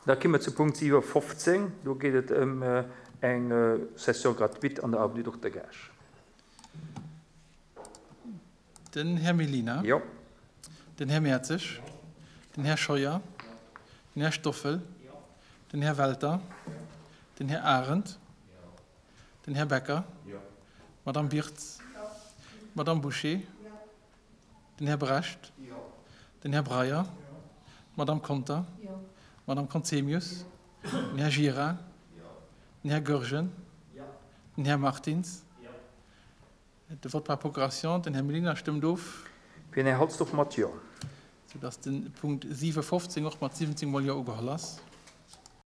Da ki mer zu Punkt 7,15. Do geet et ëm eng Session gratuite an der Avenue Dokter Gaasch. Den Här Mellina. Jo. Den Här Mertzig. Den Här Scheuer. Den Här Stoffel. Den Här Welter. Den Här Arendt. Den Här Becker. D'Madame Birtz. D'Madame Bouché. Den Här Brecht. Den Här Breyer. D'Madame Conter. D'Madame Conzemius. Den Här Gira. Den Här Goergen. Den Här Martins. De Vote par procuration, den Här Mellina stëmmt of. Fir den Här Halsdorf mat Jo. Soudass de Punkt 7,15 och mat 17 mol Jo ugeholl ass.